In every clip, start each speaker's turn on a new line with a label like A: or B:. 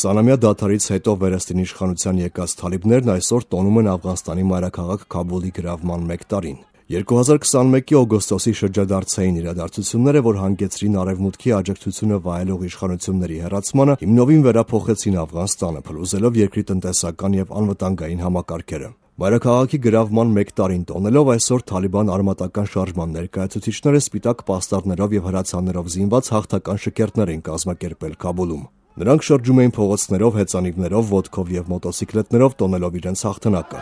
A: 20-ամյա դադարից հետո վերստին իշխանության եկած թալիբներն այսօր տոնում են Աֆղանստանի մայրաքաղաք Քաբուլի գրավման 1 տարին։ 2021-ի օգոստոսի շրջադարձային իրադարձությունները, որ հանգեցրին Արևմուտքի աջակցությունը վայելող իշխանությունների հեռացմանը, հիմնովին վերափոխեցին Աֆղանստանը, փլուզելով երկրի տնտեսական եւ անվտանգային համակարգերը։ Մայրաքաղաքի գրավման 1 տարին տոնելով այսօր Թալիբան արմատական շարժման ներկայացուցիչները սպիտակ պաստառներով եւ հրացաններով զինված հաղթական շքերթներ են կազմակերպել Քաբուլում։ Նրանք շրջում էին փողոցներով, հեծանիվներով, ոտքով եւ մոտոցիկլետներով տոնելով իրենց հաղթանակը։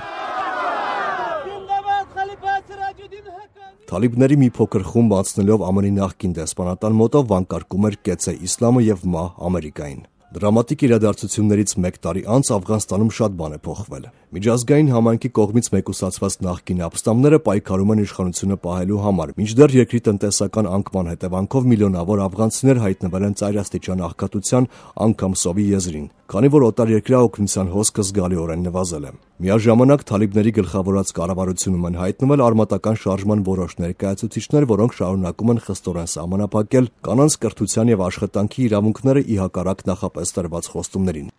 A: Թալիբների մի փոքր խումբ անցնելով ԱՄՆ-ի նախկին դեսպանատան մոտով վանկարկում էր «Կեցե իսլամը» եւ «Մահ Ամերիկային»։ Դրամատիկ իրադարձություններից 1 տարի անց Աֆղանստանում շատ բան է փոխվել։ Միջազգային համայնքի կողմից մեկուսացված նախկին ապստամբները պայքարում են իշխանությունը պահելու համար, մինչդեռ երկրի տնտեսական անկման հետևանքով միլիոնավոր աֆղանցիներ հայտնվել են ծայրաստիճան աղքատության, անգամ սովի եզրին, քանի որ օտարերկրյա օգնության հոսքը զգալիորեն նվազել է։ Միաժամանակ Թալիբների գլխավորած կառավարությունում են հայտնվել արմատական շարժման որոշ ներկայացուցիչներ, որոնք շարունակում են խստորեն սահմանափակել կանանց կրթության եւ աշխատանքի իրավունքները ի հակառակ նախապես տրված խոստումներին։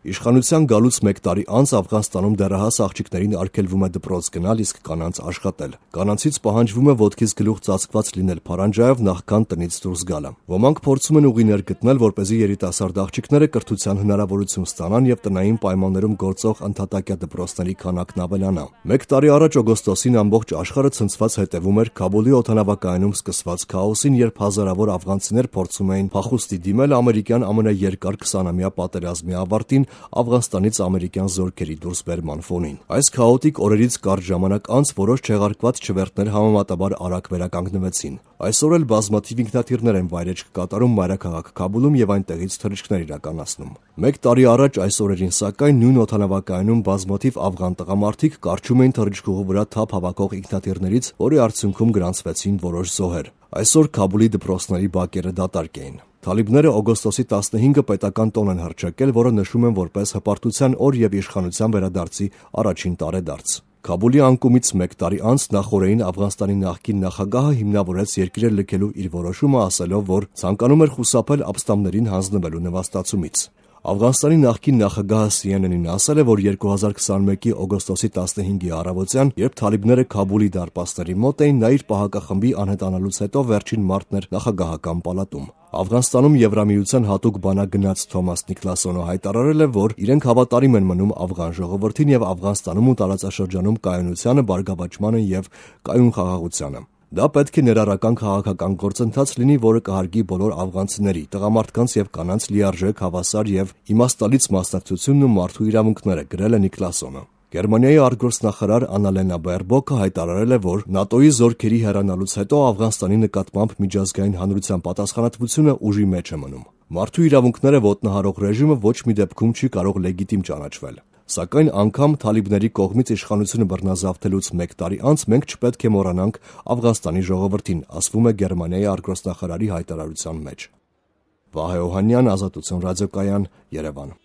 A: Իշխանության գալուց 1 տարի անց Աֆղանստանում դեռահաս աղջիկներին արգելվում է դպրոց գնալ, իսկ կանանց աշխատել։ Կանանցից պահանջվում է ոտքից գլուխ ծածկված լինել փարանջայով նախքան տնից դուրս գալը։ Ոմանք փորձում են ուղիներ գտնել, որպեսզի երիտասարդ աղջիկները կրթության հնարավորություն ստանան եւ տնային պայմաններում գործող ընդհատակյա դպրոցների քանակն ավելանա։ 1 տարի առաջ օգոստոսին ամբողջ աշխարհը ցնցված հետևում էր Քաբուլի օդանավակայանում սկսված քաոսին, երբ հազարավոր աֆղանցիներ փորձում էին փախուստի դիմել ամերիկյան ամենաերկար 20-ամյա պատերազմի ավարտին Աֆղանստանից ամերիկյան զորքերի դուրսբերման ֆոնին։ Այս քաոտիկ օրերից կարճ ժամանակ անց որոշ չեղարկված չվերթներ համեմատաբար արագ վերականգնվեցին։ Այսօր էլ բազմաթիվ ինքնաթիռներ են վայրեջք կատարում մայրաքաղաք Քաբուլում եւ այնտեղից թռիչքներ իրականացնում։ 1 տարի առաջ այս օրերին սակայն նույն օդանավակայանում բազմաթիվ աֆղան տղամարդիկ կարճում էին թռիչքուղու վրա թափ հավաքող ինքնաթիռներից, որի արդյունքում գրանցվեցին որոշ զոհեր։ Այսօր Քաբուլի դպրոցների բակերը դատարկ էին։ Թալիբները օգոստոսի 15-ը պետական տոն են հռչակել, որը նշում են որպես հպարտության օր եւ իշխանության վերադարձի առաջին տարեդարձ։ Քաբուլի անկումից 1 տարի անց նախօրեին Աֆղանստանի նախկին նախագահը հիմնավորեց երկիրը լքելու իր որոշումը, ասելով, որ ցանկանում էր խուսափել ապստամբներին հանձնվելու նվաստացումից։ Աֆղանստանի նախկին նախագահը CNN-ին ասել է, որ 2021-ի օգոստոսի 15-ի առավոտյան, երբ Թալիբները Քաբուլի դարպասների մոտ էին, նա իր պահակախմբի անհետանալուց հետո վերջին մարտն էր նախագահական պալատում։ Աֆղանստանում Եվրամիության հատուկ բանագնաց Թոմաս Նիկլասոնը հայտարարել է, որ իրենք հավատարիմ են մնում աֆղան ժողովրդին եւ Աֆղանստանում ու տարածաշրջանում կայունությանը, բարգավաճմանը եւ կայուն խաղաղությանը։ Դա պետք է ներառական քաղաքական գործընթաց լինի, որը կհարգի բոլոր աֆղանցիների, տղամարդկանց եւ կանանց լիարժեք, հավասար եւ իմաստալից մասնակցությունն ու մարդու իրավունքները, գրել է Նիկլասոնը։ Գերմանիայի արտգործնախարար Աննալենա Բերբոքը հայտարարել է, որ ՆԱՏՕ-ի զորքերի հեռանալուց հետո Աֆղանստանի նկատմամբ միջազգային հանրության պատասխանատվությունը ուժի մեջ է մնում։ Մարդու իրավունքները ոտնահարող ռեժիմը ոչ մի դեպքում չի կարող լեգիտիմ ճանաչվել։ Սակայն անգամ Թալիբների կողմից իշխանությունը բռնազավթելուց 1 տարի անց մենք չպետք է մոռանանք Աֆղանստանի ժողովրդին, ասվում է Գերմանիայի արտգործնախարարի հայտարարության մեջ։ Վահե Օհանյան, Ազատություն ռադիոկայան, Երևան։